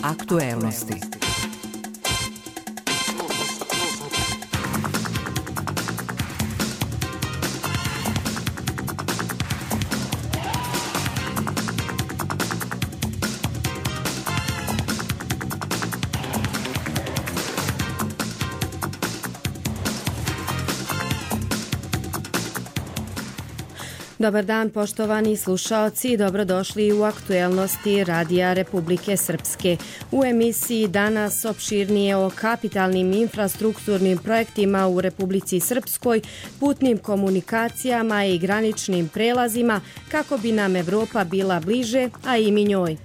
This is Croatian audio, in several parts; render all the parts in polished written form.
Aktuelnosti. Dobar dan, poštovani slušaoci, dobrodošli u aktuelnosti Radija Republike Srpske. U emisiji danas opširnije o kapitalnim infrastrukturnim projektima u Republici Srpskoj, putnim komunikacijama i graničnim prelazima kako bi nam Evropa bila bliže, a i mi njoj.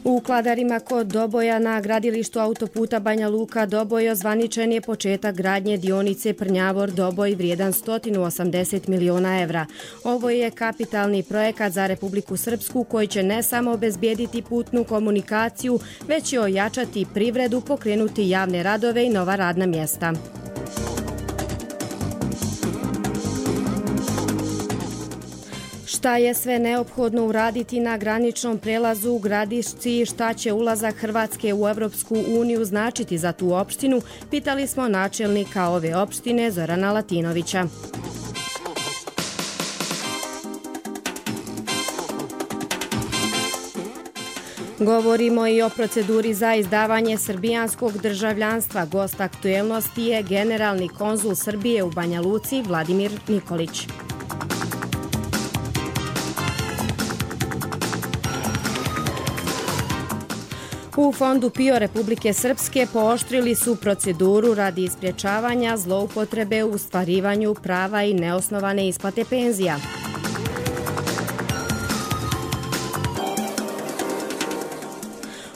U Kladarima kod Doboja na gradilištu autoputa Banja Luka-Doboj ozvaničen je početak gradnje dionice Prnjavor-Doboj vrijedan 180 miliona evra. Ovo je kapitalni projekat za Republiku Srpsku koji će ne samo obezbijediti putnu komunikaciju, već i ojačati privredu, pokrenuti javne radove i nova radna mjesta. Šta je sve neophodno uraditi na graničnom prelazu u Gradišci, šta će ulazak Hrvatske u Evropsku uniju značiti za tu opštinu, pitali smo načelnika ove opštine Zorana Latinovića. Govorimo i o proceduri za izdavanje srbijanskog državljanstva. Gost aktuelnosti je generalni konzul Srbije u Banja Luci Vladimir Nikolić. U Fondu PIO Republike Srpske pooštrili su proceduru radi isprječavanja zloupotrebe u ostvarivanju prava i neosnovane isplate penzija.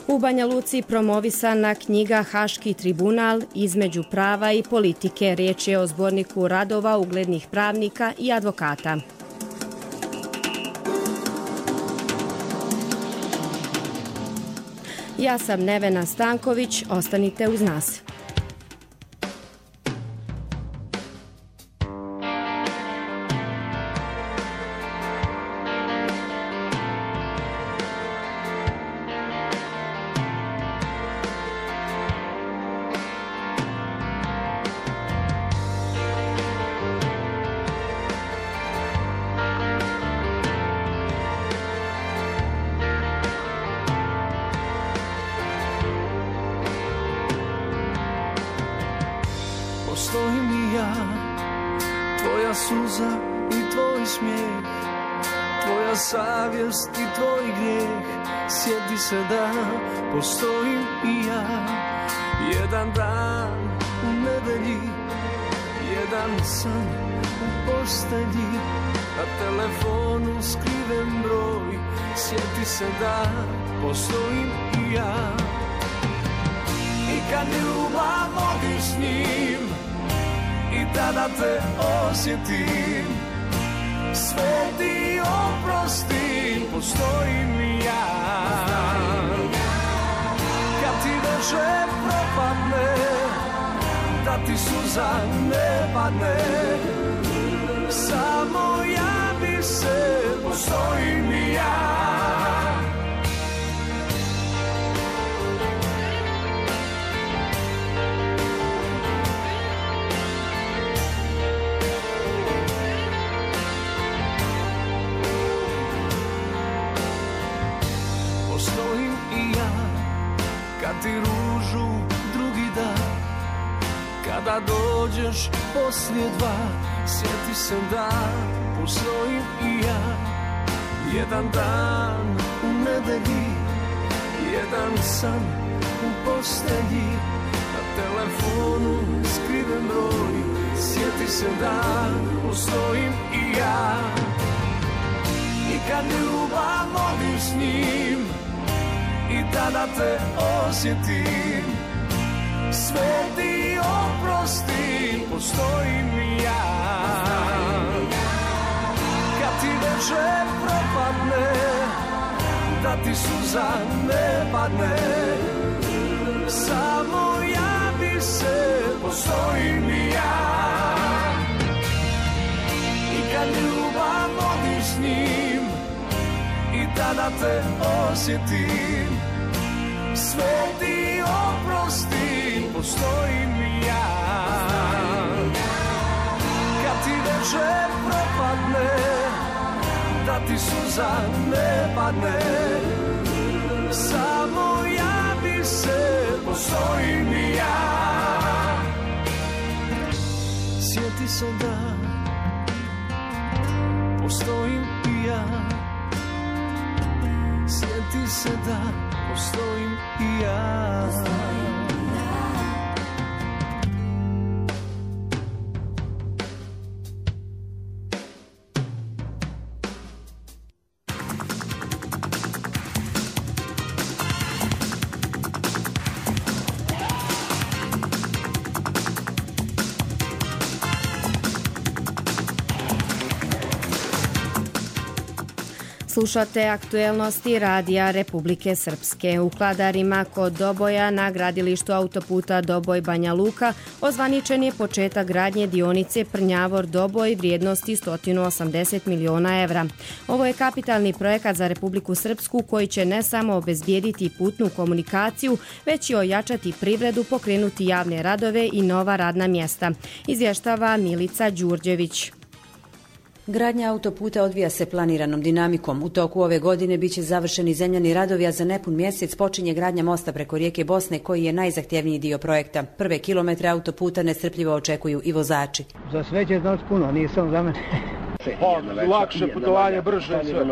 U Banja Luci promovisana knjiga Haški tribunal između prava i politike. Riječ je o zborniku radova uglednih pravnika i advokata. Ja sam Nevena Stanković, ostanite uz nas. Postojim i ja, tvoja suza i tvoj smijeh, tvoja savjest i tvoj grijeh. Sjeti se da postojim i ja, jedan dan u nedelji, jedan san u postelji, na telefonu skriven broj. Sjeti se da postojim i ja, i kad ljubav vodiš s njim, i tada te osjetim, sve ti oprostim, postojim i ja. Kad ti veže propadne, da ti suza ne padne, samo javi se, postojim i ja. Kad ti ružu drugi dan, kada dođeš poslije dva, sjeti se da postojim i ja, jedan dan u nedelji, jedan san u postelji, na telefonu skriven broj. Sjeti se da postojim i ja, i kad ljubav vodiš s njim, i tada te osjetim, sve ti oprostim, postojim i ja. Kad ti veže propadne, da ti suza ne padne, samo javi se, postojim i ja. I kad ljubav vodiš s njim, kada te osjetim. Sve ti oprostim, postojim ja. Kad ti večer propadne, da ti suza ne padne, samo javi se, postojim ja. Sjeti se da postojim i ja. Sjeti se da postojim i ja. Slušate aktuelnosti Radija Republike Srpske. U Kladarima kod Doboja na gradilištu autoputa Doboj-Banja Luka ozvaničen je početak gradnje dionice Prnjavor-Doboj vrijednosti 180 miliona evra. Ovo je kapitalni projekat za Republiku Srpsku koji će ne samo obezbijediti putnu komunikaciju, već i ojačati privredu, pokrenuti javne radove i nova radna mjesta, izvještava Milica Đurđević. Gradnja autoputa odvija se planiranom dinamikom. U toku ove godine biće završeni zemljani radovi, a za nepun mjesec počinje gradnja mosta preko rijeke Bosne, koji je najzahtjevniji dio projekta. Prve kilometre autoputa nestrpljivo očekuju i vozači. Za sve će znači puno, nije samo za mene. Lakše putovanje, brže sve.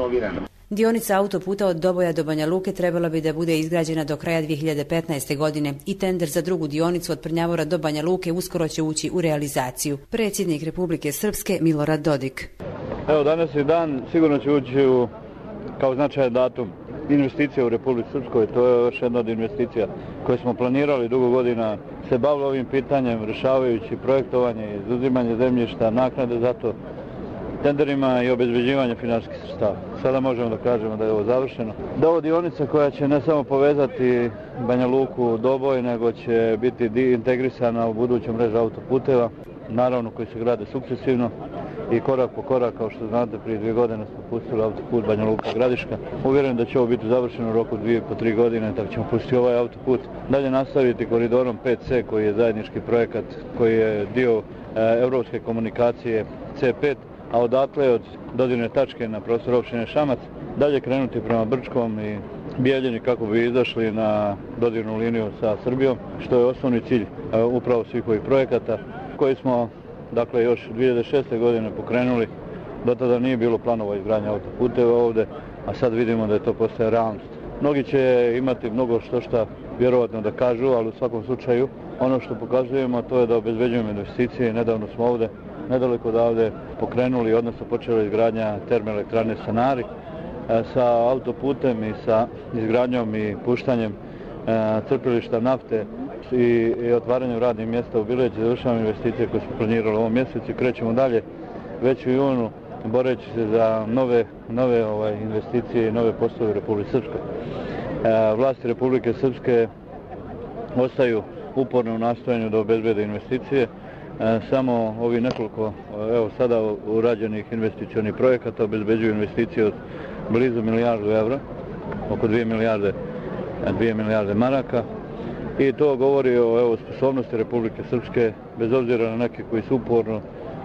Dionica autoputa od Doboja do Banja Luke trebala bi da bude izgrađena do kraja 2015. godine i tender za drugu dionicu od Prnjavora do Banja Luke uskoro će ući u realizaciju. Predsjednik Republike Srpske Milorad Dodik. Evo, danas je dan, sigurno će ući kao značajan datum investicija u Republici Srpskoj. To je još jedna od investicija koje smo planirali dugo godina, se bavili ovim pitanjem, rješavajući projektovanje, izuzimanje zemljišta, naknade za to, tenderima i obezbeđivanje finansijskih sredstava. Sada možemo da kažemo da je ovo završeno. Da je ovo dionica koja će ne samo povezati Banja Luku, Doboj, nego će biti integrisana u buduću mrežu autoputeva, naravno koji se grade sukcesivno i korak po korak, kao što znate, prije 2 godine smo pustili autoput Banja Luka-Gradiška. Uvjerujem da će ovo biti završeno u roku 2,5-3 godine, tako ćemo pustiti ovaj autoput. Dalje nastaviti koridorom 5C koji je zajednički projekat, koji je dio europske komunikacije C5, a odatle od dodirne tačke na prostoru opštine Šamac dalje krenuti prema Brčkom i Bijeljini kako bi izašli na dodirnu liniju sa Srbijom, što je osnovni cilj upravo svih ovih projekata koji smo još 2006. godine pokrenuli. Do tada nije bilo planova izgradnje autoputeva ovdje, a sad vidimo da je to postaje realnost. Mnogi će imati mnogo što vjerovatno da kažu, ali u svakom slučaju ono što pokazujemo to je da obezbeđujemo investicije. Nedavno smo ovdje, nedaleko odavde, pokrenuli, odnosno počela izgradnja termoelektrane Stanari sa autoputem i sa izgradnjom i puštanjem crpilišta nafte i otvaranjem radnih mjesta u Bileći. Završavamo investicije koje smo planirali u ovom mjesecu i krećemo dalje već u junu boreći se za nove investicije i nove poslove u Republike Srpskoj. Vlasti Republike Srpske ostaju uporno u nastojanju da obezbede investicije. Samo ovi nekoliko sada urađenih investicionih projekata obezbeđuju investicije od blizu 1 milijardu evra, oko 2 milijarde maraka. I to govori o sposobnosti Republike Srpske, bez obzira na neke koji su uporno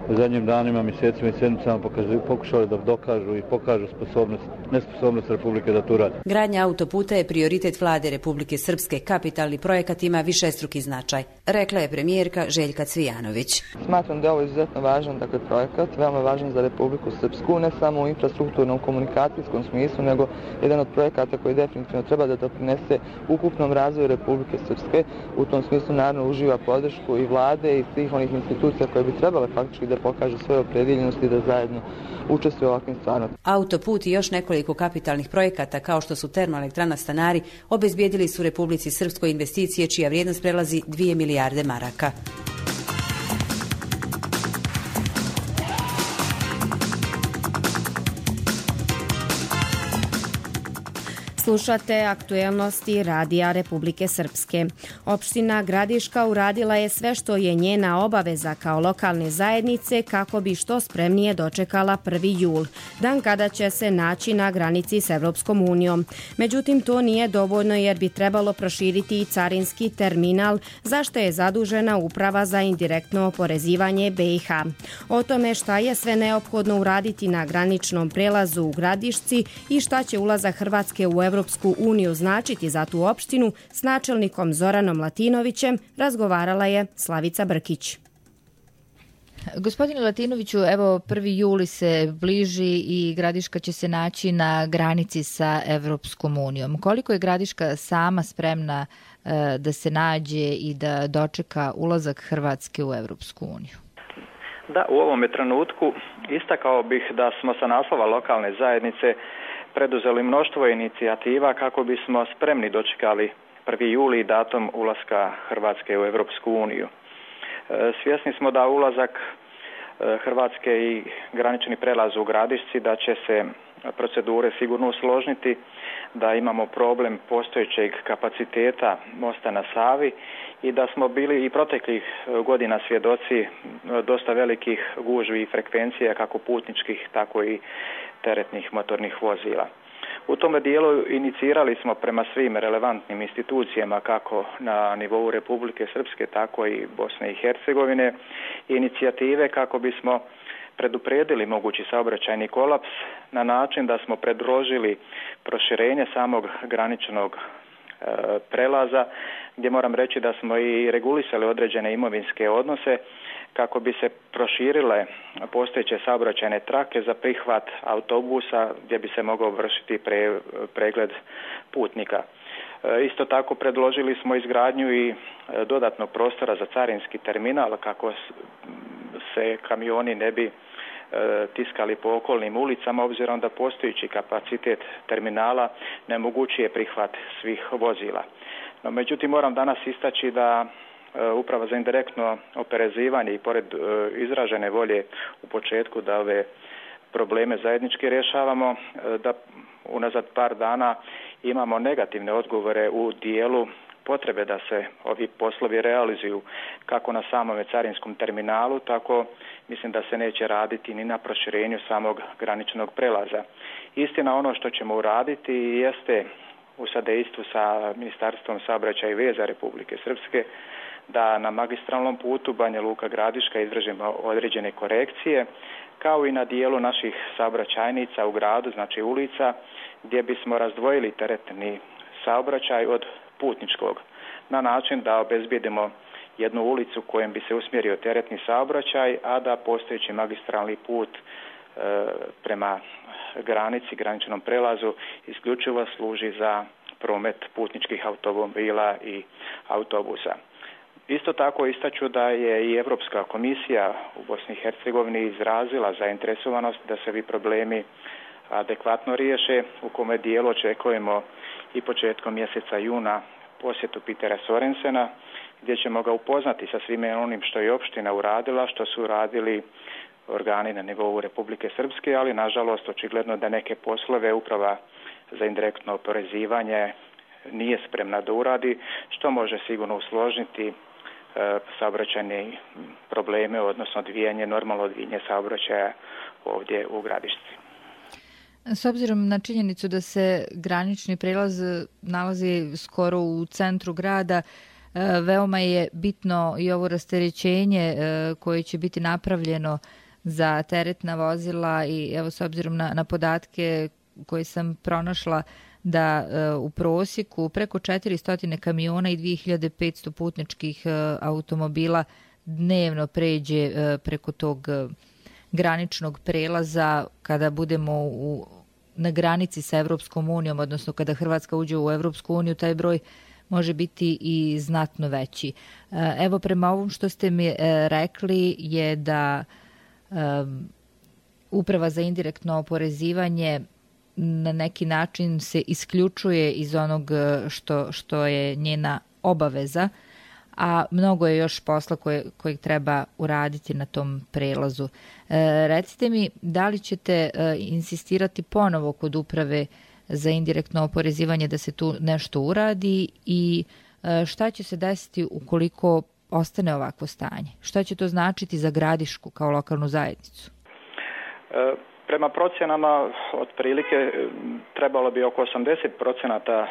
u zadnjim danima, mjesecima i sedmicama pokušali da dokažu i pokažu nesposobnost Republike da to radi. Gradnja autoputa je prioritet vlade Republike Srpske. Kapitalni projekat ima višestruki značaj, rekla je premijerka Željka Cvijanović. Smatram da je ovo izuzetno važan projekat, veoma važan za Republiku Srpsku, ne samo u infrastrukturnom komunikacijskom smislu, nego jedan od projekata koji definitivno treba da doprinese ukupnom razvoju Republike Srpske. U tom smislu naravno uživa podršku i vlade i svih onih institucija koje bi trebale faktički da pokažu svoje opredeljenosti da zajedno učestvuju u ovakvim stvarima. Autoput i još nekoliko kapitalnih projekata kao što su termoelektrana Stanari obezbijedili su Republici Srpskoj investicije čija vrijednost prelazi 2 milijarde maraka. Slušate aktuelnosti Radija Republike Srpske. Opština Gradiška uradila je sve što je njena obaveza kao lokalne zajednice kako bi što spremnije dočekala 1. jul, dan kada će se naći na granici s Evropskom unijom. Međutim, to nije dovoljno jer bi trebalo proširiti i carinski terminal, za što je zadužena Uprava za indirektno oporezivanje BiH. O tome šta je sve neophodno uraditi na graničnom prelazu u Gradišci i šta će ulazak Hrvatske u Evropsku uniju značiti za tu opštinu, s načelnikom Zoranom Latinovićem razgovarala je Slavica Brkić. Gospodine Latinoviću, evo 1. juli se bliži i Gradiška će se naći na granici sa Evropskom unijom. Koliko je Gradiška sama spremna da se nađe i da dočeka ulazak Hrvatske u Evropsku uniju? Da, u ovome trenutku istakao bih da smo sa naslova lokalne zajednice preduzeli mnoštvo inicijativa kako bismo spremni dočekali 1. juli i datum ulaska Hrvatske u Evropsku uniju. Svjesni smo da ulazak Hrvatske i granični prelaz u Gradišci, da će se procedure sigurno usložniti, da imamo problem postojećeg kapaciteta mosta na Savi i da smo bili i proteklih godina svjedoci dosta velikih gužvi i frekvencija kako putničkih, tako i teretnih motornih vozila. U tome dijelu inicirali smo prema svim relevantnim institucijama kako na nivou Republike Srpske, tako i Bosne i Hercegovine inicijative kako bismo predupredili mogući saobraćajni kolaps na način da smo predložili proširenje samog graničnog prelaza, gdje moram reći da smo i regulisali određene imovinske odnose kako bi se proširile postojeće saobraćajne trake za prihvat autobusa gdje bi se mogao vršiti pregled putnika. Isto tako predložili smo izgradnju i dodatnog prostora za carinski terminal kako se kamioni ne bi tiskali po okolnim ulicama, obzirom da postojeći kapacitet terminala ne omogućuje prihvat svih vozila. No, međutim, moram danas istaći da Uprava za indirektno oporezivanje i pored izražene volje u početku da ove probleme zajednički rješavamo, da unazad par dana imamo negativne odgovore u dijelu potrebe da se ovi poslovi realizuju kako na samome carinskom terminalu, tako mislim da se neće raditi ni na proširenju samog graničnog prelaza. Istina, ono što ćemo uraditi jeste u sadejstvu sa Ministarstvom saobraćaja i veza Republike Srpske da na magistralnom putu Banja Luka Gradiška izvršimo određene korekcije, kao i na dijelu naših saobraćajnica u gradu, znači ulica, gdje bismo razdvojili teretni saobraćaj od putničkog, na način da obezbijedimo jednu ulicu kojem bi se usmjerio teretni saobraćaj, a da postojeći magistralni put prema granici, graničnom prelazu isključivo služi za promet putničkih automobila i autobusa. Isto tako istaću da je i Europska komisija u Bosni i Hercegovini izrazila zainteresovanost da se ovi problemi adekvatno riješe, u kome dijelu očekujemo i početkom mjeseca juna posjetu Petera Sorensena, gdje ćemo ga upoznati sa svime onim što je opština uradila, što su uradili organi na nivou Republike Srpske, ali nažalost očigledno da neke poslove Uprava za indirektno oporezivanje nije spremna da uradi, što može sigurno usložiti saobraćajne probleme, odnosno normalno odvijanje saobraćaja ovdje u Gradišci. S obzirom na činjenicu da se granični prelaz nalazi skoro u centru grada, veoma je bitno i ovo rasterećenje koje će biti napravljeno za teretna vozila i evo s obzirom na podatke koje sam pronašla da u prosjeku preko 400 kamiona i 2500 putničkih automobila dnevno pređe preko tog graničnog prelaza kada budemo na granici sa Evropskom unijom, odnosno kada Hrvatska uđe u Evropsku uniju, taj broj može biti i znatno veći. Evo, prema ovom što ste mi rekli je da Uprava za indirektno oporezivanje na neki način se isključuje iz onog što je njena obaveza, a mnogo je još posla kojeg treba uraditi na tom prelazu. Recite mi, da li ćete insistirati ponovo kod uprave za indirektno oporezivanje da se tu nešto uradi i šta će se desiti ukoliko ostane ovakvo stanje? Šta će to značiti za Gradišku kao lokalnu zajednicu? Prema procjenama otprilike trebalo bi oko 80%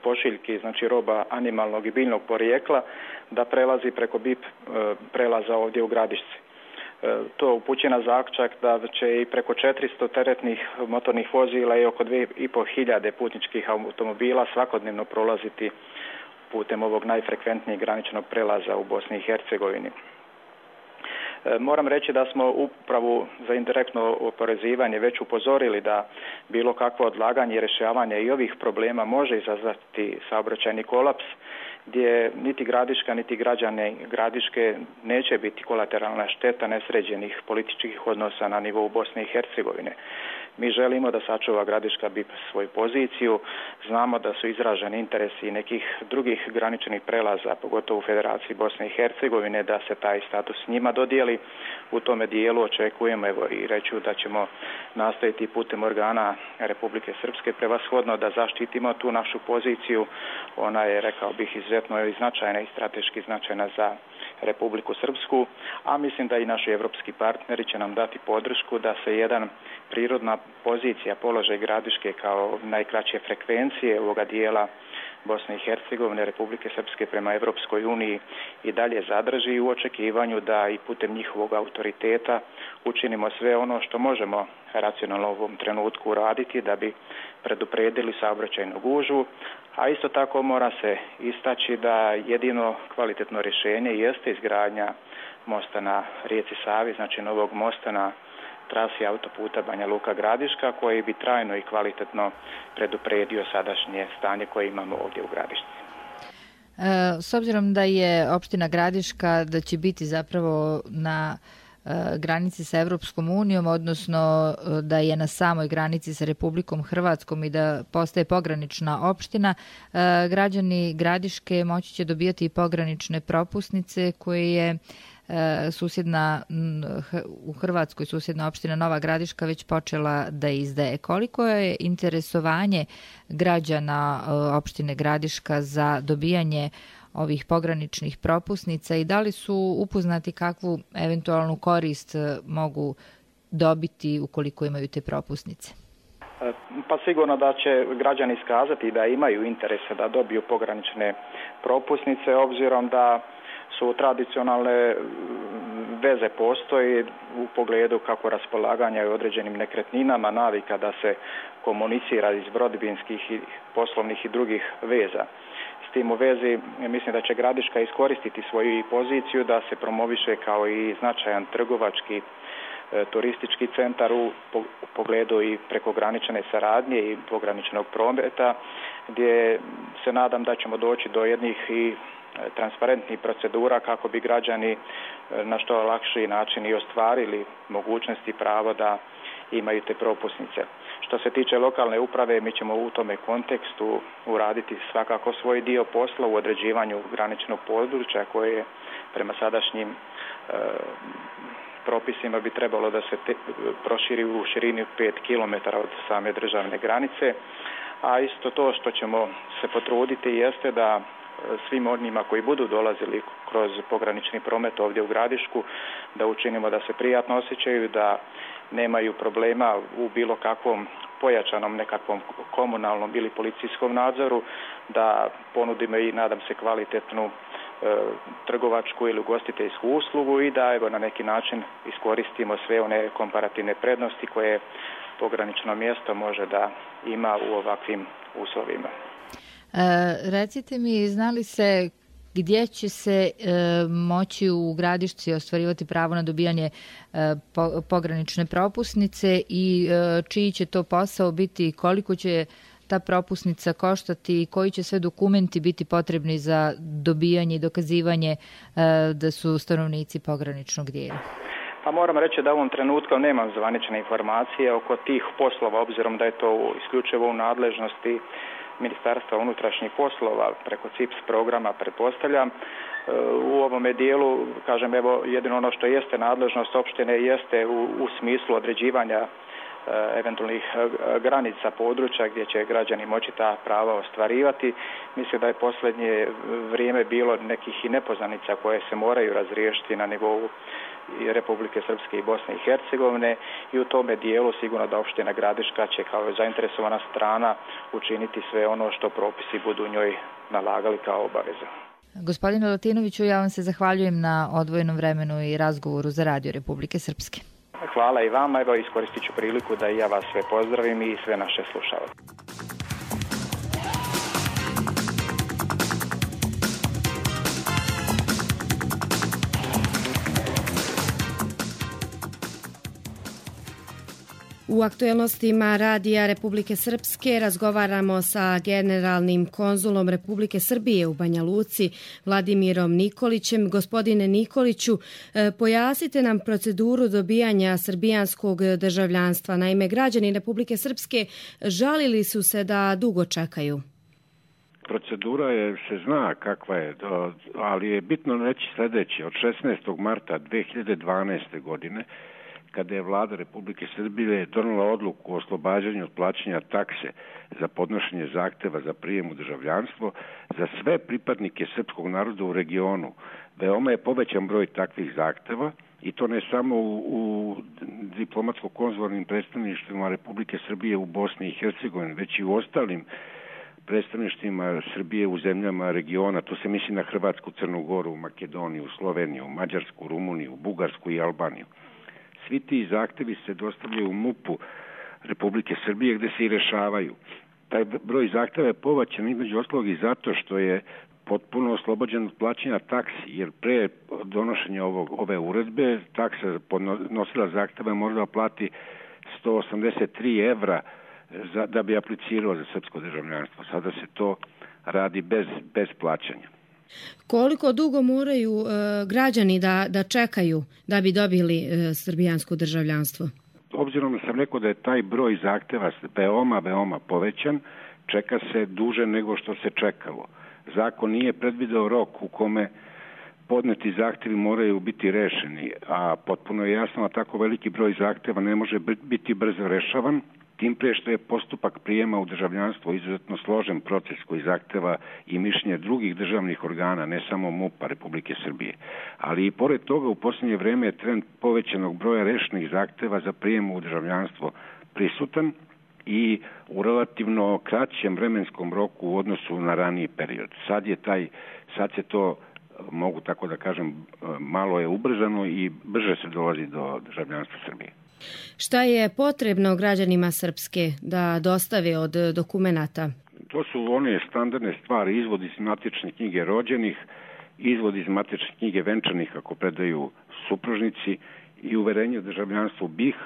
pošiljki, znači roba animalnog i biljnog porijekla, da prelazi preko BIP prelaza ovdje u Gradišci. To upućuje na zaključak da će i preko 400 teretnih motornih vozila i oko 2500 putničkih automobila svakodnevno prolaziti putem ovog najfrekventnijeg graničnog prelaza u Bosni i Hercegovini. Moram reći da smo upravu za indirektno oporezivanje već upozorili da bilo kakvo odlaganje i rješavanje i ovih problema može izazvati saobraćajni kolaps, gdje niti Gradiška niti građane Gradiške neće biti kolateralna šteta nesređenih političkih odnosa na nivou Bosne i Hercegovine. Mi želimo da sačuva Gradiška BIP svoju poziciju, znamo da su izraženi interesi nekih drugih graničnih prelaza, pogotovo u Federaciji Bosne i Hercegovine, da se taj status njima dodijeli. U tome dijelu očekujemo, evo i reću da ćemo nastaviti putem organa Republike Srpske prevashodno da zaštitimo tu našu poziciju. Ona je, rekao bih, izuzetno i značajna i strateški značajna za Republiku Srpsku, a mislim da i naši evropski partneri će nam dati podršku da se jedan prirodna pozicija, položaj Gradiške kao najkraće frekvencije ovoga dijela Bosne i Hercegovine, Republike Srpske prema Evropskoj uniji i dalje zadrži u očekivanju da i putem njihovog autoriteta učinimo sve ono što možemo racionalno u ovom trenutku uraditi da bi predupredili saobraćajnu gužvu, a isto tako mora se istaći da jedino kvalitetno rješenje jeste izgradnja mosta na rijeci Savi, znači novog mosta na trasi autoputa Banja Luka Gradiška, koji bi trajno i kvalitetno predupredio sadašnje stanje koje imamo ovdje u Gradišci. S obzirom da je opština Gradiška, da će biti zapravo na granici sa Evropskom unijom, odnosno da je na samoj granici sa Republikom Hrvatskom i da postaje pogranična opština, građani Gradiške moći će dobijati i pogranične propusnice koje je u Hrvatskoj susjedna opština Nova Gradiška već počela da izdaje. Koliko je interesovanje građana opštine Gradiška za dobijanje ovih pograničnih propusnica i da li su upoznati kakvu eventualnu korist mogu dobiti ukoliko imaju te propusnice? Pa sigurno da će građani iskazati da imaju interese da dobiju pogranične propusnice, obzirom da su tradicionalne veze postoji u pogledu kako raspolaganja i određenim nekretninama, navika da se komunicira iz rodbinskih i poslovnih i drugih veza. S tim u vezi mislim da će Gradiška iskoristiti svoju poziciju da se promoviše kao i značajan trgovački turistički centar u pogledu i prekogranične saradnje i pograničnog prometa, gdje se nadam da ćemo doći do jednih i transparentnih procedura kako bi građani na što lakši način i ostvarili mogućnosti i pravo da imaju te propusnice. Što se tiče lokalne uprave, mi ćemo u tome kontekstu uraditi svakako svoj dio posla u određivanju graničnog područja koje prema sadašnjim propisima bi trebalo da se proširi u širini 5 km od same državne granice, a isto to što ćemo se potruditi jeste da svim onima koji budu dolazili kroz pogranični promet ovdje u Gradišku, da učinimo da se prijatno osjećaju, da nemaju problema u bilo kakvom pojačanom nekakvom komunalnom ili policijskom nadzoru, da ponudimo i nadam se kvalitetnu trgovačku ili ugostiteljsku uslugu i da evo na neki način iskoristimo sve one komparativne prednosti koje pogranično mjesto može da ima u ovakvim uslovima. Recite mi, znali se gdje će se moći u Gradišci ostvarivati pravo na dobijanje pogranične propusnice i čiji će to posao biti, koliko će ta propusnica koštati i koji će sve dokumenti biti potrebni za dobijanje i dokazivanje da su stanovnici pograničnog dijela? Pa moram reći da u ovom trenutku nemam zvanične informacije oko tih poslova, obzirom da je to isključivo u nadležnosti Ministarstva unutrašnjih poslova preko CIPS programa, pretpostavljam. U ovome dijelu, kažem, evo, jedino ono što jeste nadležnost opštine jeste u smislu određivanja eventualnih granica područja gdje će građani moći ta prava ostvarivati. Mislim da je posljednje vrijeme bilo nekih i nepoznanica koje se moraju razriješiti na nivou Republike Srpske i Bosne i Hercegovine i u tome dijelu sigurno da opština Gradiška će kao zainteresovana strana učiniti sve ono što propisi budu njoj nalagali kao obavezu. Gospodine Latinoviću, ja vam se zahvaljujem na odvojenom vremenu i razgovoru za Radio Republike Srpske. Hvala i vama, evo iskoristit ću priliku da i ja vas sve pozdravim i sve naše slušalce. U aktuelnostima Radija Republike Srpske razgovaramo sa generalnim konzulom Republike Srbije u Banja Luci, Vladimirom Nikolićem. Gospodine Nikoliću, pojasnite nam proceduru dobijanja srbijanskog državljanstva. Naime, građani Republike Srpske žalili su se da dugo čekaju. Procedura se zna kakva je, ali je bitno reći sljedeće. Od 16. marta 2012. godine, kada je vlada Republike Srbije donela odluku o oslobađanju od plaćanja takse za podnošenje zahteva za prijem u državljanstvo za sve pripadnike srpskog naroda u regionu, veoma je povećan broj takvih zahteva i to ne samo u diplomatsko-konzularnim predstavništvima Republike Srbije u Bosni i Hercegovini, već i u ostalim predstavništvima Srbije u zemljama regiona. To se misli na Hrvatsku, Crnu Goru, Makedoniju, Sloveniju, Mađarsku, Rumuniju, Bugarsku i Albaniju. Svi ti zahtevi se dostavljaju u MUP-u Republike Srbije gdje se i rešavaju. Taj broj zahteva je povećan između ostalog i zato što je potpuno oslobođen od plaćanja taksi, jer pre donošenja ove uredbe taksa podnosila zahteva možda plati 183 evra da bi aplicirao za srpsko državljanstvo. Sada se to radi bez plaćanja. Koliko dugo moraju građani da čekaju da bi dobili srbijansko državljanstvo? Obzirom da sam rekao da je taj broj zahteva veoma povećan, čeka se duže nego što se čekalo. Zakon nije predvideo rok u kome podneti zahtjevi moraju biti rešeni, a potpuno je jasno da tako veliki broj zahtjeva ne može biti brzo rešavan, tim prije što je postupak prijema u državljanstvo izuzetno složen proces koji zahteva i mišljenje drugih državnih organa, ne samo MUP-a Republike Srbije. Ali i pored toga u posljednje vrijeme je trend povećanog broja rešenih zahteva za prijem u državljanstvo prisutan i u relativno kraćem vremenskom roku u odnosu na raniji period. Sad se to, mogu tako da kažem, malo je ubrzano i brže se dolazi do državljanstva Srbije. Šta je potrebno građanima Srpske da dostave od dokumenata? To su one standardne stvari, izvod iz matične knjige rođenih, izvod iz matične knjige venčanih ako predaju supružnici i uverenje o državljanstvu BiH,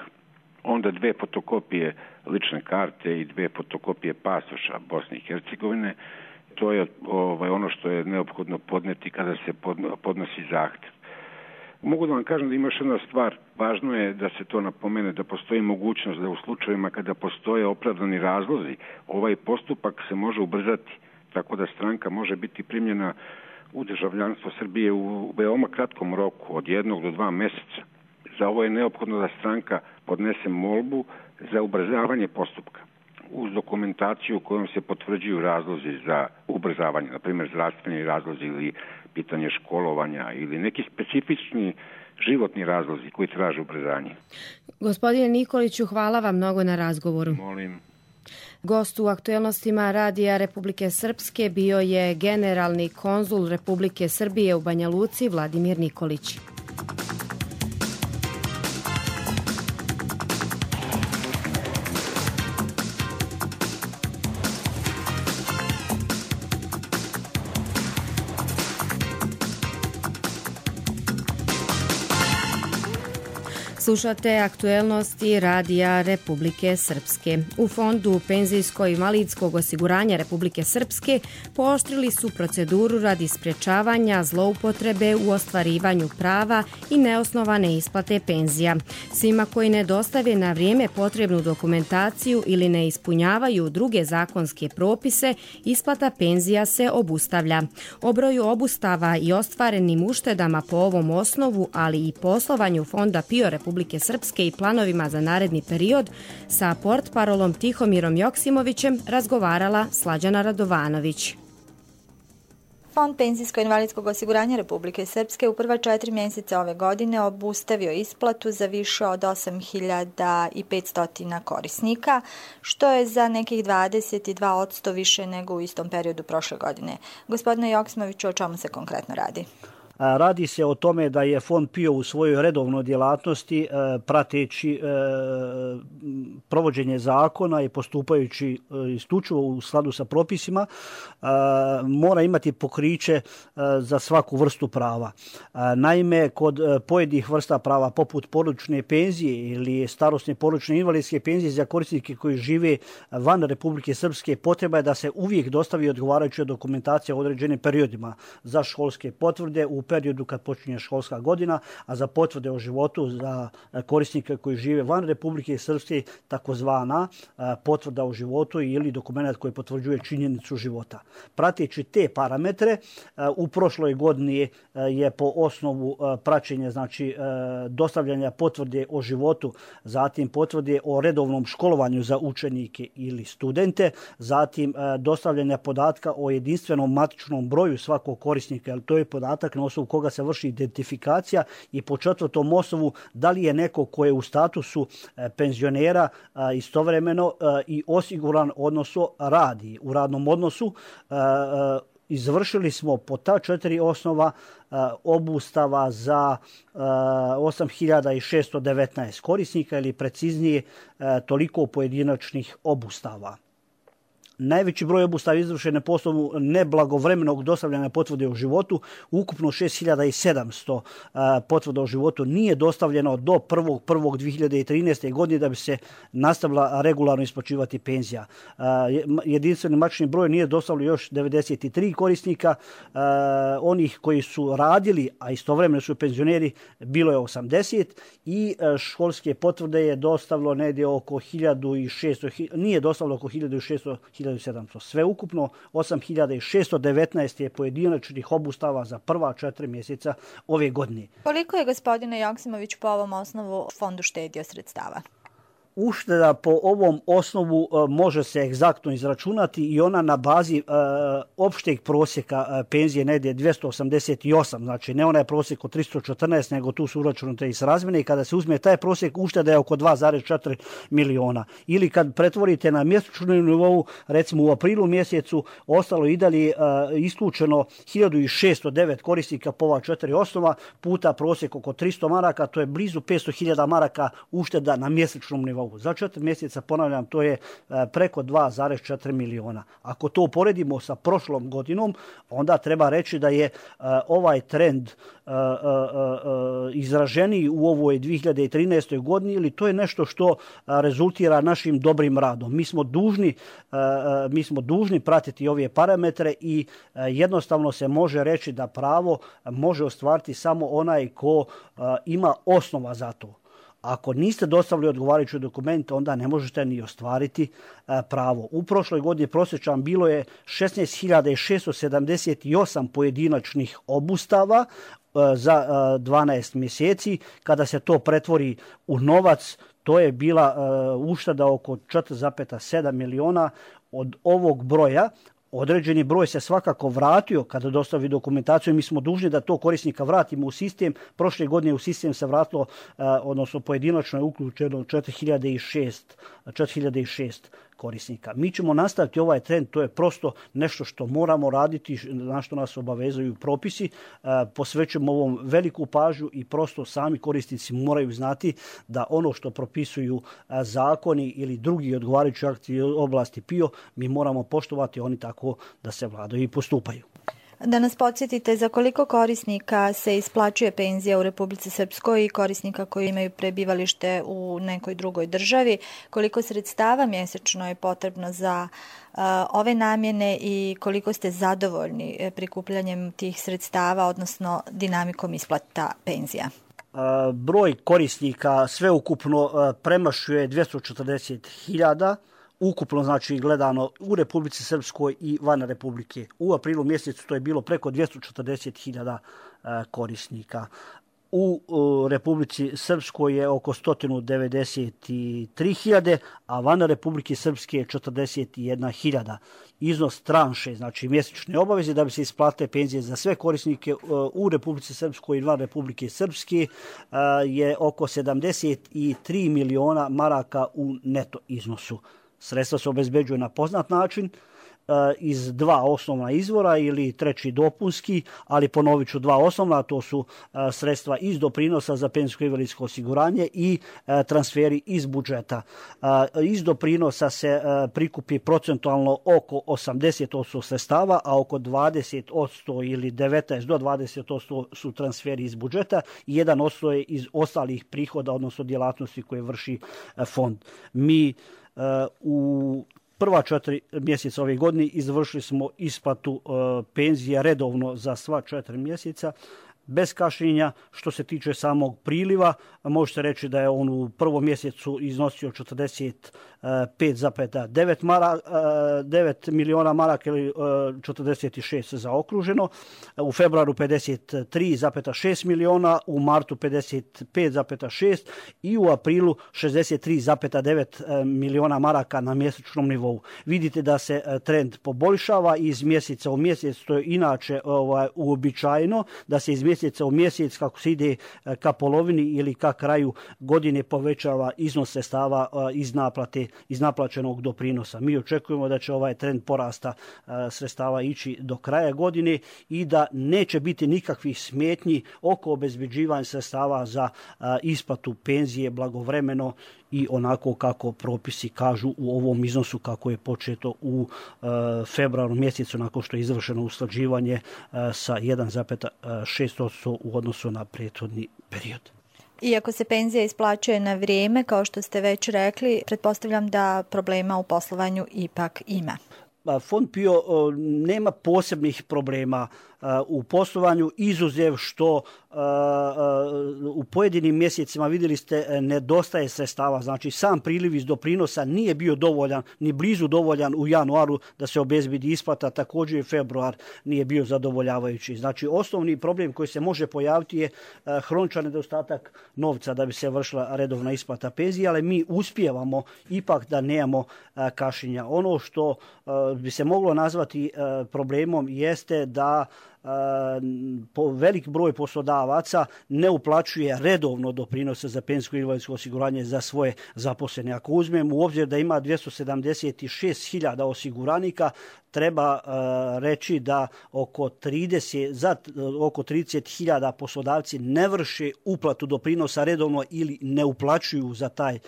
onda 2 fotokopije lične karte i 2 fotokopije pasoša Bosne i Hercegovine. To je ono što je neophodno podneti kada se podnosi zahtev. Mogu da vam kažem da ima još jedna stvar. Važno je da se to napomene, da postoji mogućnost da u slučajevima kada postoje opravdani razlozi, ovaj postupak se može ubrzati, tako da stranka može biti primljena u državljanstvo Srbije u veoma kratkom roku, od 1 do 2 mjeseca. Za ovo je neophodno da stranka podnese molbu za ubrzavanje postupka uz dokumentaciju kojom se potvrđuju razlozi za ubrzavanje, na primjer zdravstveni razlozi ili pitanje školovanja ili neki specifični životni razlozi koji traže ubrzanje. Gospodine Nikoliću, hvala vam mnogo na razgovoru. Molim. Gost u aktuelnostima Radija Republike Srpske bio je generalni konzul Republike Srbije u Banja Luci Vladimir Nikolić. Slušate aktuelnosti Radija Republike Srpske. U Fondu penzijsko-invalidskog osiguranja Republike Srpske pooštrili su proceduru radi sprječavanja zloupotrebe u ostvarivanju prava i neosnovane isplate penzija. Svima koji ne dostave na vrijeme potrebnu dokumentaciju ili ne ispunjavaju druge zakonske propise, isplata penzija se obustavlja. O broju obustava i ostvarenim uštedama po ovom osnovu, ali i poslovanju Fonda PIO Republike Republike Srpske i planovima za naredni period sa portparolom Tihomirom Joksimovićem razgovarala Slađana Radovanović. Fond penzijsko-invalidskog osiguranja Republike Srpske u prva 4 mjeseca ove godine obustavio isplatu za više od 8.500 korisnika, što je za nekih 22% više nego u istom periodu prošle godine. Gospodine Joksimoviću, o čemu se konkretno radi? Radi se o tome da je Fond PIO u svojoj redovnoj djelatnosti prateći provođenje zakona i postupajući isključivo u skladu sa propisima mora imati pokriće za svaku vrstu prava. Naime, kod pojedinih vrsta prava poput porodične penzije ili starosne porodične invalidske penzije za korisnike koji žive van Republike Srpske potreba je da se uvijek dostavi odgovarajuća dokumentacija u određenim periodima za školske potvrde u periodu kad počinje školska godina, a za potvrde o životu za korisnike koji žive van Republike Srpske takozvana potvrda o životu ili dokument koji potvrđuje činjenicu života. Prateći te parametre, u prošloj godini je po osnovu praćenja, znači dostavljanja potvrde o životu, zatim potvrde o redovnom školovanju za učenike ili studente, zatim dostavljanja podatka o jedinstvenom matičnom broju svakog korisnika, jer to je podatak na osnovu koga se vrši identifikacija, i po četvrtom osnovu da li je neko ko je u statusu penzionera istovremeno i osiguran, odnosno radi u radnom odnosu. Izvršili smo po ta 4 osnova obustava za 8.619 korisnika ili preciznije toliko pojedinačnih obustava. Najveći broj obustava izvršen je po osnovu neblagovremenog dostavljanja potvrde o životu. Ukupno 6.700 potvrda o životu nije dostavljeno do 1.1.2013. godine da bi se nastavila regularno isplaćivati penzija. Jedinstveni matični broj nije dostavljeno još 93 korisnika. Onih koji su radili, a istovremeno su penzioneri, bilo je 80 i školske potvrde je dostavilo negdje oko 1.600, nije dostavilo oko 1.600, 1.700. Sve ukupno 8.619 je pojedinačnih obustava za prva 4 mjeseca ove godine. Koliko je, gospodine Joksimović, po ovom osnovu fondu štedio sredstava? Ušteda po ovom osnovu može se egzaktno izračunati i ona na bazi opšteg prosjeka penzije negdje 288, znači ne onaj prosjek od 314, nego tu su uračunate i srazmjene, i kada se uzme taj prosjek, ušteda je oko 2,4 miliona. Ili kad pretvorite na mjesečnom nivou, recimo u aprilu mjesecu ostalo i dalje isključeno 1.609 korisnika po ova 4 osnova, puta prosjek oko 300 maraka, to je blizu 500.000 maraka ušteda na mjesečnom nivou. Za 4 mjeseca, ponavljam, to je preko 2,4 miliona. Ako to uporedimo sa prošlom godinom, onda treba reći da je ovaj trend izraženiji u ovoj 2013. godini, ili to je nešto što rezultira našim dobrim radom. Mi smo dužni pratiti ove parametre i jednostavno se može reći da pravo može ostvariti samo onaj ko ima osnova za to. Ako niste dostavili odgovarajući dokument, onda ne možete ni ostvariti pravo. U prošloj godini prosječan bilo je 16.678 pojedinačnih obustava za 12 mjeseci. Kada se to pretvori u novac, to je bila ušteda oko 4,7 miliona. Od ovog broja određeni broj se svakako vratio kada dostavi dokumentaciju. Mi smo dužni da to korisnika vratimo u sistem. Prošle godine u sistem se vratilo, odnosno pojedinačno je uključeno 4.006 korisnika. Mi ćemo nastaviti ovaj trend, to je prosto nešto što moramo raditi, na što nas obavezuju propisi. Posvećujemo ovom veliku pažnju i prosto sami korisnici moraju znati da ono što propisuju zakoni ili drugi odgovarajući akti oblasti PIO, mi moramo poštovati, oni tako da se vladaju i postupaju. Da nas podsjetite za koliko korisnika se isplaćuje penzija u Republici Srpskoj i korisnika koji imaju prebivalište u nekoj drugoj državi, koliko sredstava mjesečno je potrebno za ove namjene i koliko ste zadovoljni prikupljanjem tih sredstava, odnosno dinamikom isplata penzija? Broj korisnika sveukupno premašuje 240.000. Ukupno, znači gledano u Republici Srpskoj i van Republike. U aprilu mjesecu to je bilo preko 240.000 korisnika. U Republici Srpskoj je oko 193.000, a van Republike Srpske je 41.000. Iznos tranše, znači mjesečne obaveze da bi se isplate penzije za sve korisnike u Republici Srpskoj i van Republike Srpske je oko 73 miliona maraka u neto iznosu. Sredstva se obezbeđuju na poznat način, iz dva osnovna izvora ili treći dopunski, ali ponovit ću dva osnovna, to su sredstva iz doprinosa za penzijsko i invalidsko osiguranje i transferi iz budžeta. Iz doprinosa se prikupi procentualno oko 80% sredstava, a oko 20% ili 19 do 20% su transferi iz budžeta i 1% je iz ostalih prihoda, odnosno djelatnosti koje vrši fond. Mi u prva 4 mjeseca ove godine izvršili smo isplatu penzija redovno za sva 4 mjeseca, bez kašnjenja. Što se tiče samog priliva, možete reći da je on u prvom mjesecu iznosio 45,9 miliona maraka ili 46 zaokruženo, u februaru 53,6 miliona, u martu 55,6 i u aprilu 63,9 miliona maraka na mjesečnom nivou. Vidite da se trend poboljšava iz mjeseca u mjesec, to je inače uobičajeno da se iz mjeseca u mjesec, kako se ide ka polovini ili ka kraju godine, povećava iznos sredstava iz naplaćenog doprinosa. Mi očekujemo da će ovaj trend porasta sredstava ići do kraja godine i da neće biti nikakvih smetnji oko obezbeđivanja sredstava za isplatu penzije blagovremeno i onako kako propisi kažu u ovom iznosu kako je početo u februaru mjesecu nakon što je izvršeno usklađivanje sa 1,6% u odnosu na prethodni period. Iako se penzija isplaćuje na vrijeme, kao što ste već rekli, pretpostavljam da problema u poslovanju ipak ima. Fond PIO nema posebnih problema u poslovanju, izuzev što u pojedinim mjesecima, vidjeli ste, nedostaje sredstava. Znači sam priliv iz doprinosa nije bio dovoljan, ni blizu dovoljan u januaru da se obezbedi isplata, također i februar nije bio zadovoljavajući. Znači osnovni problem koji se može pojaviti je hroničan nedostatak novca da bi se vršila redovna isplata penzije, ali mi uspijevamo ipak da nemamo kašnjenja. Ono što bi se moglo nazvati problemom jeste da velik broj poslodavaca ne uplaćuje redovno doprinose za penzijsko i invalidsko osiguranje za svoje zaposlene. Ako uzmemo u obzir da ima 276.000 osiguranika, treba reći da oko 30.000 poslodavci ne vrše uplatu doprinosa redovno ili ne uplaćuju za taj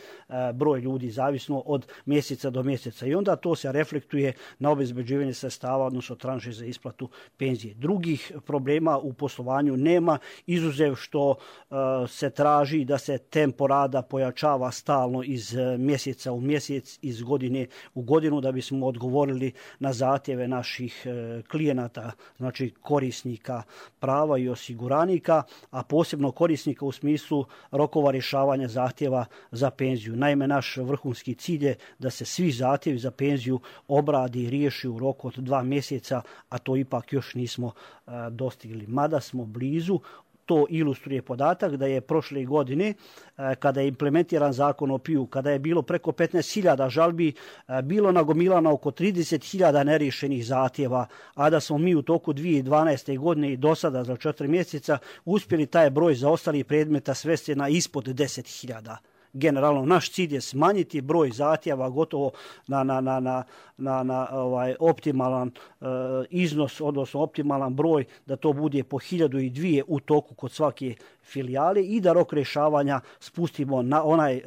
broj ljudi, zavisno od mjeseca do mjeseca. I onda to se reflektuje na obezbeđivanje sredstava, odnosno tranše za isplatu penzije. Drugih problema u poslovanju nema, izuzev što se traži da se tempo rada pojačava stalno iz mjeseca u mjesec, iz godine u godinu, da bismo odgovorili na zahtjeve naših klijenata, znači korisnika prava i osiguranika, a posebno korisnika u smislu rokova rješavanja zahtjeva za penziju. Naime, naš vrhunski cilj je da se svi zahtjevi za penziju obradi i riješi u roku od 2 mjeseca, a to ipak još nismo dostigli. Mada smo blizu. To ilustruje podatak da je prošle godine, kada je implementiran zakon o PIO, kada je bilo preko 15.000 žalbi, bilo nagomilano oko 30.000 neriješenih zahtjeva, a da smo mi u toku 2012. godine i do sada za 4 mjeseca uspjeli taj broj zaostalih predmeta svesti na ispod 10.000. Generalno, naš cilj je smanjiti broj zahtjeva gotovo na optimalan iznos, odnosno optimalan broj, da to bude po 1.002 u toku kod svake filijale i da rok rješavanja spustimo na onaj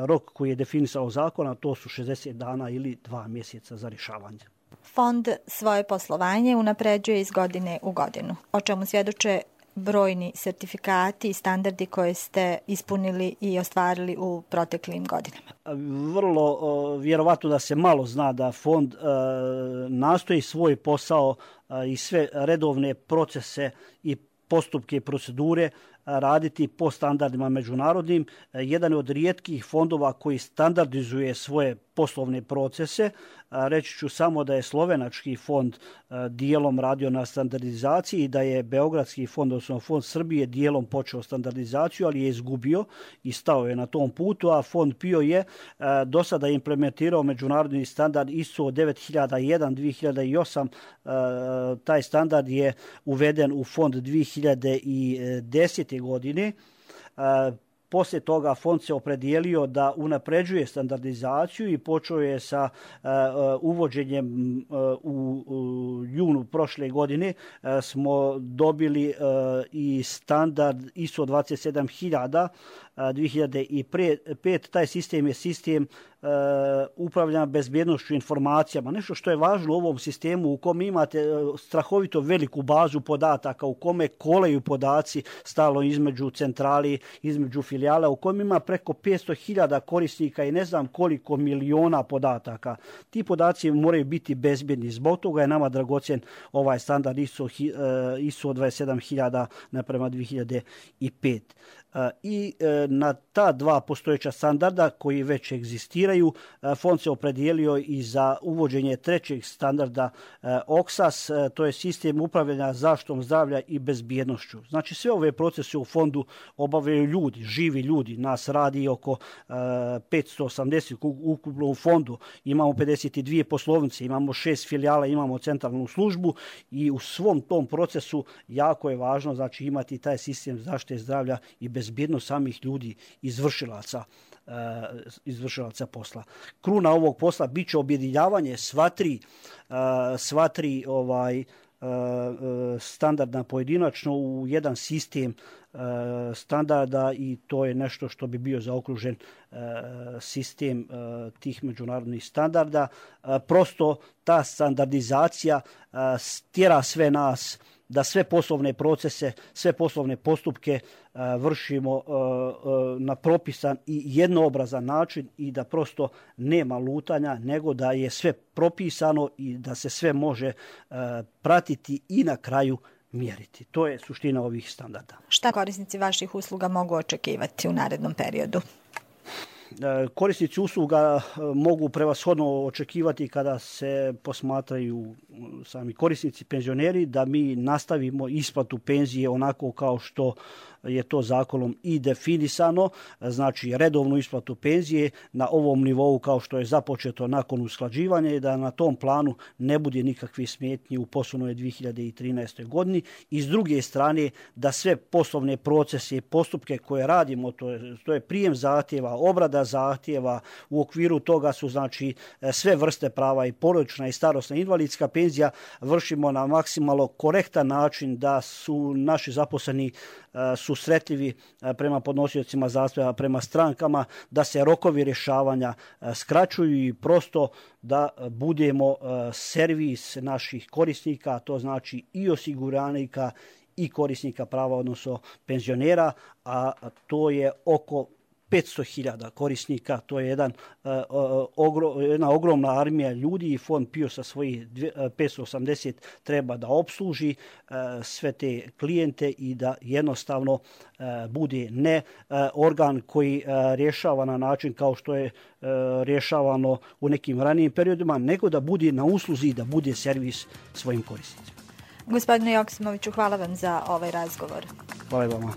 rok koji je definisao zakon, a to su 60 dana ili 2 mjeseca za rješavanje. Fond svoje poslovanje unapređuje iz godine u godinu, o čemu svjedoče brojni sertifikati i standardi koje ste ispunili i ostvarili u proteklim godinama. Vrlo vjerovatno da se malo zna da fond nastoji svoj posao i sve redovne procese i postupke i procedure raditi po standardima međunarodnim. Jedan od rijetkih fondova koji standardizuje svoje poslovne procese. Reći ću samo da je Slovenački fond dijelom radio na standardizaciji i da je Beogradski fond, odnosno Fond Srbije, dijelom počeo standardizaciju, ali je izgubio i stao je na tom putu, a Fond PIO je do sada implementirao međunarodni standard ISO 9001 2008. Taj standard je uveden u Fond 2010. godine. Poslije toga fond se opredijelio da unapređuje standardizaciju i počeo je sa uvođenjem u junu prošle godine. Smo dobili i standard ISO 27000 2005. Taj sistem je sistem upravljanja bezbjednošću informacijama. Nešto što je važno u ovom sistemu u kom imate strahovito veliku bazu podataka, u kome kolaju podaci stalno između centrali, između filijala, u kojem ima preko 500.000 korisnika i ne znam koliko miliona podataka. Ti podaci moraju biti bezbjedni. Zbog toga je nama dragocjen ovaj standard ISO 27000 naprema 2005. I na ta dva postojeća standarda koji već egzistiraju, fond se opredijelio i za uvođenje trećeg standarda OXAS, to je sistem upravljanja zaštitom zdravlja i bezbjednošću. Znači sve ove procese u fondu obavljaju ljudi, živi ljudi. Nas radi oko 580 ukupno u fondu. Imamo 52 poslovnice, imamo 6 filijala, imamo centralnu službu i u svom tom procesu jako je važno znači imati taj sistem zaštite zdravlja i bezbjednost samih ljudi, izvršilaca posla. Kruna ovog posla bit će objedinjavanje sva tri standardna pojedinačno u jedan sistem standarda i to je nešto što bi bio zaokružen sistem tih međunarodnih standarda. Prosto ta standardizacija tjera sve nas da sve poslovne procese, sve poslovne postupke vršimo na propisan i jednoobrazan način i da prosto nema lutanja, nego da je sve propisano i da se sve može pratiti i na kraju mjeriti. To je suština ovih standarda. Šta korisnici vaših usluga mogu očekivati u narednom periodu? Korisnici usluga mogu prevashodno očekivati kada se posmatraju sami korisnici penzioneri da mi nastavimo isplatu penzije onako kao što je to zakonom i definisano, znači redovnu isplatu penzije na ovom nivou kao što je započeto nakon usklađivanja i da na tom planu ne bude nikakvih smetnji u poslovnoj 2013. godini i s druge strane da sve poslovne procese i postupke koje radimo, to je prijem zahtjeva, obrada zahtjeva, u okviru toga su znači sve vrste prava i porodična i starosna invalidska penzija vršimo na maksimalno korektan način da su naši zaposleni susretljivi prema podnosiocima zahtjeva, prema strankama, da se rokovi rješavanja skraćuju i prosto da budemo servis naših korisnika, to znači i osiguranika i korisnika prava, odnosno penzionera, a to je oko 500.000 korisnika, to je jedna ogromna armija ljudi i Fond PIO sa svojih 580 treba da opsluži sve te klijente i da jednostavno bude ne organ koji rješava na način kao što je rješavano u nekim ranijim periodima, nego da bude na usluzi i da bude servis svojim korisnicima. Gospodine Joksimoviću, hvala vam za ovaj razgovor. Hvala vama.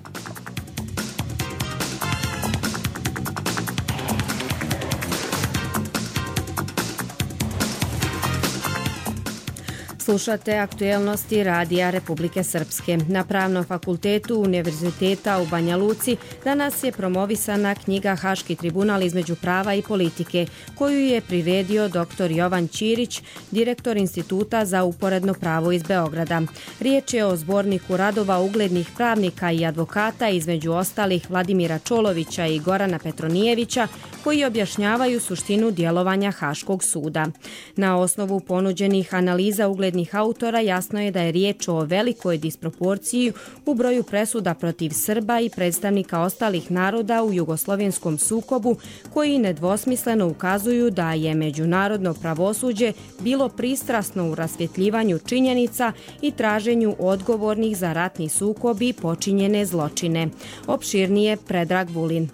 Slušate aktuelnosti Radija Republike Srpske. Na Pravnom fakultetu Univerziteta u Banja Luci danas je promovisana knjiga Haški tribunal između prava i politike, koju je priredio dr. Jovan Ćirić, direktor Instituta za uporedno pravo iz Beograda. Riječ je o zborniku radova uglednih pravnika i advokata, između ostalih Vladimira Čolovića i Gorana Petronijevića, koji objašnjavaju suštinu djelovanja Haškog suda. Na osnovu ponuđenih analiza uglednih autora jasno je da je riječ o velikoj disproporciji u broju presuda protiv Srba i predstavnika ostalih naroda u jugoslovenskom sukobu, koji nedvosmisleno ukazuju da je međunarodno pravosuđe bilo pristrasno u rasvjetljivanju činjenica i traženju odgovornih za ratni sukob i počinjene zločine. Opširnije Predrag Vulin.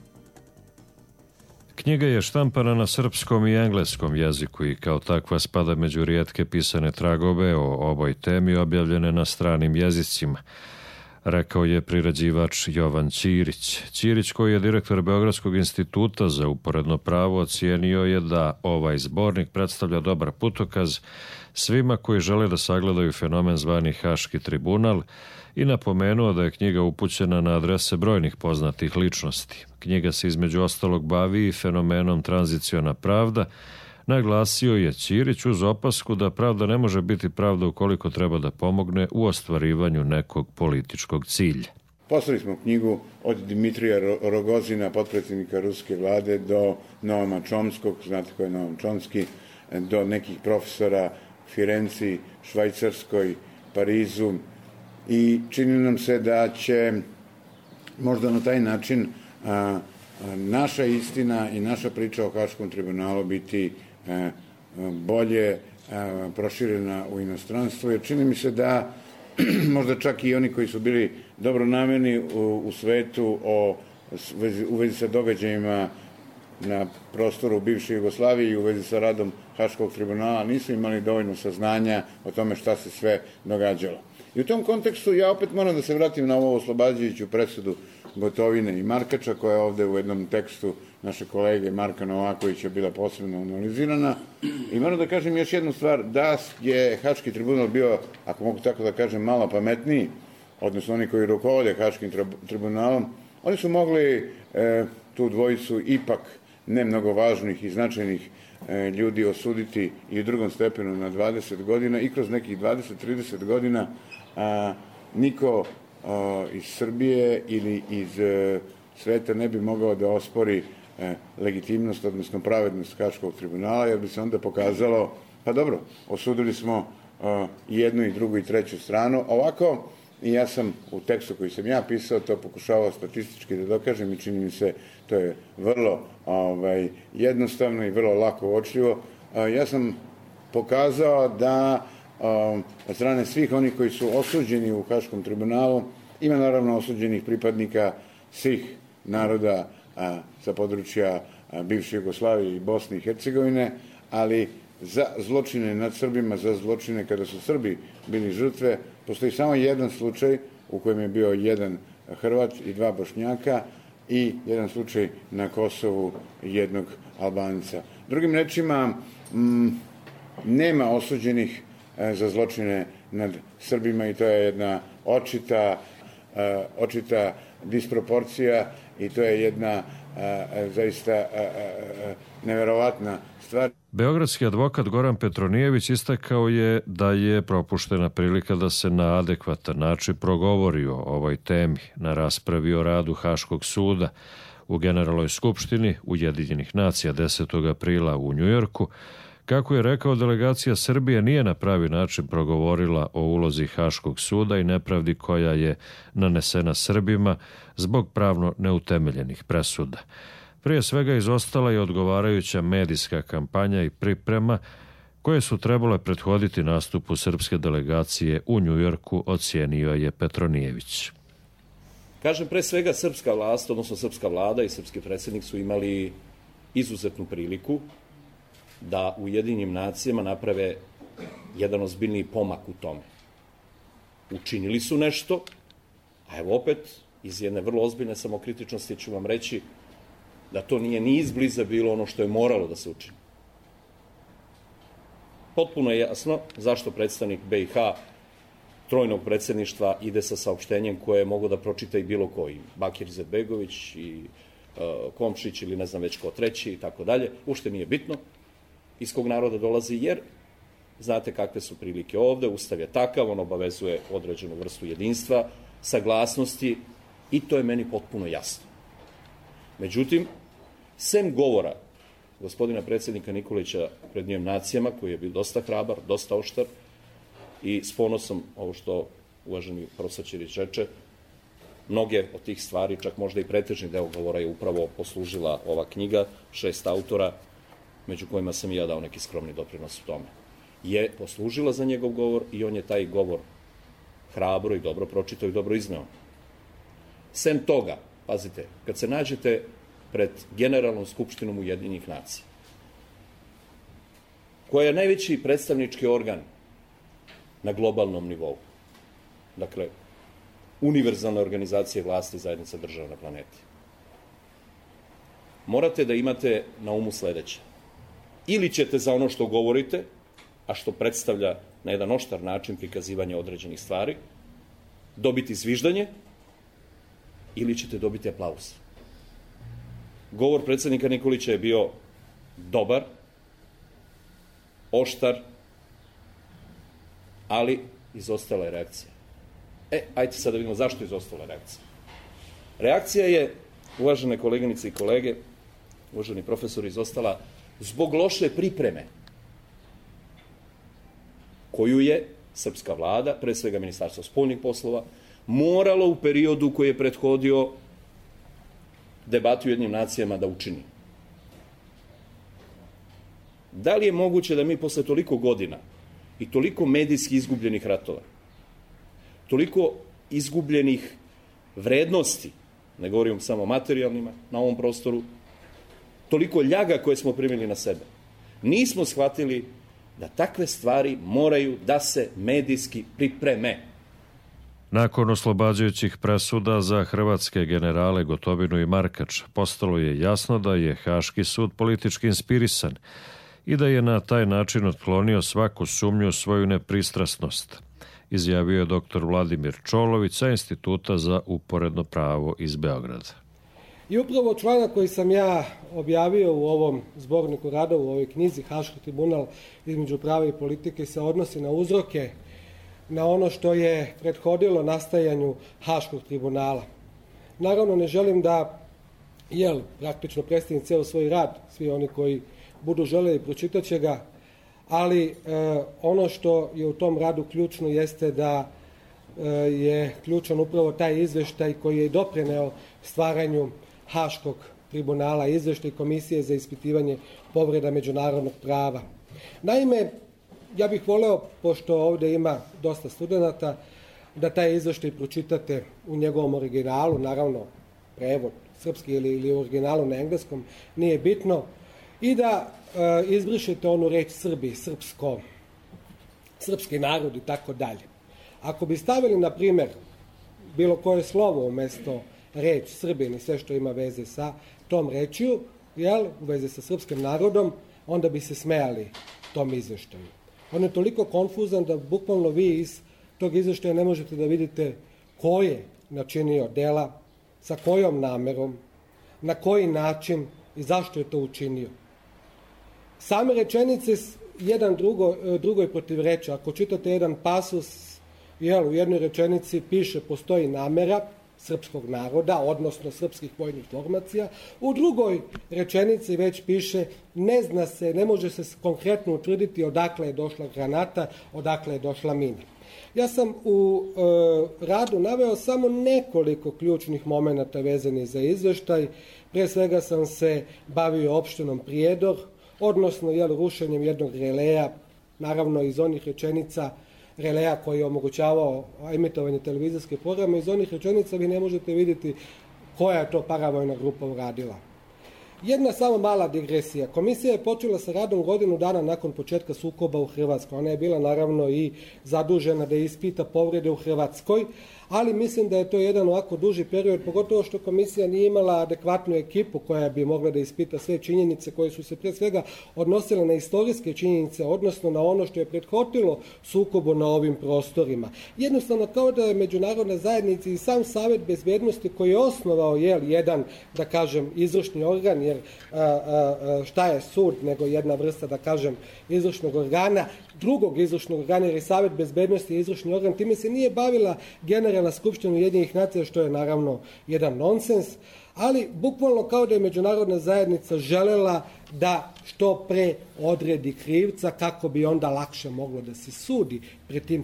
Knjiga je štampana na srpskom i engleskom jeziku i kao takva spada među rijetke pisane tragove o ovoj temi objavljene na stranim jezicima, rekao je priređivač Jovan Ćirić. Ćirić, koji je direktor Beogradskog instituta za uporedno pravo, ocijenio je da ovaj zbornik predstavlja dobar putokaz svima koji žele da sagledaju fenomen zvani Haški tribunal i napomenuo da je knjiga upućena na adrese brojnih poznatih ličnosti. Knjiga se između ostalog bavi i fenomenom tranziciona pravda. Naglasio je Ćirić uz opasku da pravda ne može biti pravda ukoliko treba da pomogne u ostvarivanju nekog političkog cilja. Poslali smo knjigu od Dimitrija Rogozina, potpredsjednika ruske vlade, do Noama Čomskog, znate ko je Noam Čomski, do nekih profesora u Firenci, Švajcarskoj, Parizu, i čini nam se da će možda na taj način naša istina i naša priča o Haškom tribunalu biti bolje proširena u inostranstvo, jer čini mi se da možda čak i oni koji su bili dobronamerni u svetu u vezi sa događajima na prostoru bivše Jugoslavije i u vezi sa radom Haškog tribunala nisu imali dovoljno saznanja o tome šta se sve događalo. I u tom kontekstu ja opet moram da se vratim na ovu oslobađajuću presudu Gotovine i Markača, koja je ovde u jednom tekstu naše kolege Marka Novakovića bila posebno analizirana. I moram da kažem još jednu stvar, da je Haški tribunal bio, ako mogu tako da kažem, malo pametniji, odnosno oni koji rukovode Haškim tribunalom, oni su mogli tu dvojicu ipak ne mnogo važnih i značajnih ljudi osuditi i u drugom stepenu na 20 godina i kroz nekih 20-30 godina niko iz Srbije ili iz sveta ne bi mogao da ospori legitimnost, odnosno pravednost Haškog tribunala, jer bi se onda pokazalo, pa dobro, osudili smo i jednu i drugu i treću stranu. Ovako, i ja sam u tekstu koji sam ja pisao to pokušavao statistički da dokažem i čini mi se to je vrlo jednostavno i vrlo lako uočljivo. Ja sam pokazao da od strane svih onih koji su osuđeni u Haškom tribunalu ima naravno osuđenih pripadnika svih naroda sa područja bivše Jugoslavije i Bosne i Hercegovine, ali za zločine nad Srbima, za zločine kada su Srbi bili žrtve, postoji samo jedan slučaj u kojem je bio jedan Hrvat i dva Bošnjaka i jedan slučaj na Kosovu jednog Albanca. Drugim rečima, nema osuđenih za zločine nad Srbima i to je jedna očita disproporcija i to je jedna zaista neverovatna stvar. Beogradski advokat Goran Petronijević istakao je da je propuštena prilika da se na adekvatan način progovori o ovoj temi na raspravi o radu Haškog suda u Generalnoj skupštini Ujedinjenih nacija 10. aprila u Njujorku. Kako je rekao, delegacija Srbije nije na pravi način progovorila o ulozi Haškog suda i nepravdi koja je nanesena Srbima zbog pravno neutemeljenih presuda. Prije svega izostala je odgovarajuća medijska kampanja i priprema koje su trebale prethoditi nastupu srpske delegacije u Njujorku, ocijenio je Petronijević. Kažem, pre svega srpska vlast, odnosno srpska vlada i srpski predsjednik su imali izuzetnu priliku da u Ujedinjenim nacijama naprave jedan ozbiljniji pomak u tome. Učinili su nešto, a evo opet, iz jedne vrlo ozbiljne samokritičnosti ću vam reći da to nije ni izbliza bilo ono što je moralo da se učini. Potpuno je jasno zašto predstavnik BiH trojnog predsjedništva ide sa saopštenjem koje mogu da pročita i bilo koji. Bakir Izetbegović i Komšić ili ne znam već ko treći i tako dalje. Ušte nije bitno iz kog naroda dolazi, jer znate kakve su prilike ovde, Ustav je takav, on obavezuje određenu vrstu jedinstva, saglasnosti i to je meni potpuno jasno. Međutim, sem govora gospodina predsjednika Nikolića pred njim nacijama, koji je bio dosta hrabar, dosta oštar i s ponosom, ovo što uvaženi profesor Ćirić reče, mnoge od tih stvari, čak možda i pretežni deo govora je upravo poslužila ova knjiga, 6 autora, među kojima sam i ja dao neki skromni doprinos u tome, je poslužila za njegov govor i on je taj govor hrabro i dobro pročitao i dobro izneo. Sem toga, pazite, kad se nađete pred Generalnom skupštinom Ujedinjenih nacija, koja je najveći predstavnički organ na globalnom nivou. Dakle, univerzalna organizacija vlasti zajednica država na planeti. Morate da imate na umu sledeće. Ili ćete za ono što govorite, a što predstavlja na jedan oštar način prikazivanje određenih stvari, dobiti zviždanje, ili ćete dobiti aplauz. Govor predsednika Nikolića je bio dobar, oštar, ali izostala je reakcija. Ajde sad da vidimo zašto je izostala reakcija. Reakcija je, uvažene koleginice i kolege, uvaženi profesori, izostala zbog loše pripreme koju je srpska vlada, pre svega Ministarstvo spoljnih poslova, moralo u periodu koji je prethodio debati u Ujedinjenim nacijama da učini. Da li je moguće da mi posle toliko godina i toliko medijski izgubljenih ratova, toliko izgubljenih vrednosti, ne govorim samo materijalnima na ovom prostoru, toliko ljaga koje smo primili na sebe, nismo shvatili da takve stvari moraju da se medijski pripreme. Nakon oslobađajućih presuda za hrvatske generale Gotovinu i Markač, postalo je jasno da je Haški sud politički inspirisan i da je na taj način otklonio svaku sumnju u svoju nepristrasnost, izjavio je dr. Vladimir Čolović sa Instituta za uporedno pravo iz Beograda. I upravo članak koji sam ja objavio u ovom zborniku radova, u ovoj knjizi Haški tribunal između prava i politike, se odnosi na uzroke, na ono što je prethodilo nastajanju Haškog tribunala. Naravno, ne želim da, praktično predstavim ceo svoj rad, svi oni koji budu želeli pročitat će ga, ali ono što je u tom radu ključno jeste da je ključan upravo taj izveštaj koji je doprineo stvaranju Haškog tribunala, izveštaj Komisije za ispitivanje povreda međunarodnog prava. Naime, ja bih voleo, pošto ovde ima dosta studenata, da taj izveštaj pročitate u njegovom originalu, naravno prevod srpski ili u originalu na engleskom, nije bitno, i da izbrišete onu reč Srbi, srpsko, srpski narod i tako dalje. Ako bi stavili, na primer, bilo koje slovo umesto reč Srbin i sve što ima veze sa tom rečju, u veze sa srpskim narodom, onda bi se smejali tom izveštaju. On je toliko konfuzan da bukvalno vi iz tog izveštaja ne možete da vidite ko je načinio dela, sa kojom namerom, na koji način i zašto je to učinio. Same rečenice jedan drugoj protivreče. Ako čitate jedan pasus, u jednoj rečenici piše postoji namera srpskog naroda, odnosno srpskih vojnih formacija, u drugoj rečenici već piše ne zna se, ne može se konkretno utvrditi odakle je došla granata, odakle je došla mina. Ja sam u radu naveo samo nekoliko ključnih momenata vezanih za izveštaj. Pre svega sam se bavio opštinom Prijedor, odnosno rušenjem jednog releja, naravno iz onih rečenica releja koji je omogućavao emitovanje televizijske programe, iz onih rečenica vi ne možete vidjeti koja je to paravojna grupa uradila. Jedna samo mala digresija. Komisija je počela sa radom godinu dana nakon početka sukoba u Hrvatskoj. Ona je bila naravno i zadužena da ispita povrede u Hrvatskoj, ali mislim da je to jedan ovako duži period, pogotovo što komisija nije imala adekvatnu ekipu koja bi mogla da ispita sve činjenice koje su se pre svega odnosile na istorijske činjenice, odnosno na ono što je prethodilo sukobu na ovim prostorima. Jednostavno kao da je međunarodna zajednica i sam Savet bezbednosti koji je osnovao jedan, da kažem, izvršni organ, jer šta je sud nego jedna vrsta, da kažem, izvršnog organa, drugog izvršnog organa, jer je Savet bezbednosti i izvršni organ, time se nije bavila Generalna skupština Ujedinjenih nacija, što je naravno jedan nonsens, ali bukvalno kao da je međunarodna zajednica želela da što pre odredi krivca kako bi onda lakše moglo da se sudi pred tim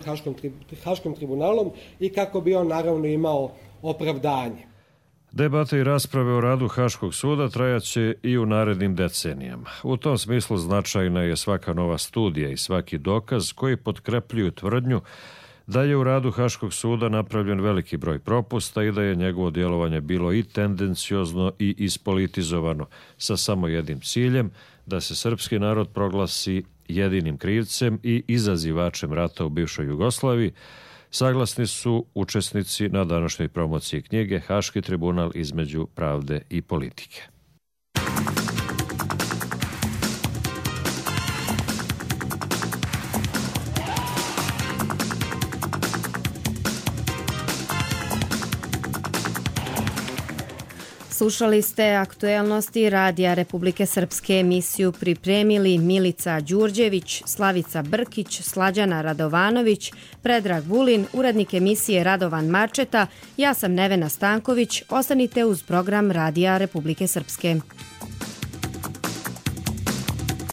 Haškim tribunalom i kako bi on naravno imao opravdanje. Debate i rasprave o radu Haškog suda trajaće i u narednim decenijama. U tom smislu značajna je svaka nova studija i svaki dokaz koji potkrepljuju tvrdnju Da je u radu Haškog suda napravljen veliki broj propusta i da je njegovo djelovanje bilo i tendenciozno i ispolitizovano sa samo jednim ciljem da se srpski narod proglasi jedinim krivcem i izazivačem rata u bivšoj Jugoslaviji, saglasni su učesnici na današnjoj promociji knjige Haški tribunal između pravde i politike. Slušali ste aktuelnosti Radija Republike Srpske. Emisiju pripremili Milica Đurđević, Slavica Brkić, Slađana Radovanović, Predrag Vulin, urednik emisije Radovan Marčeta, ja sam Nevena Stanković. Ostanite uz program Radija Republike Srpske.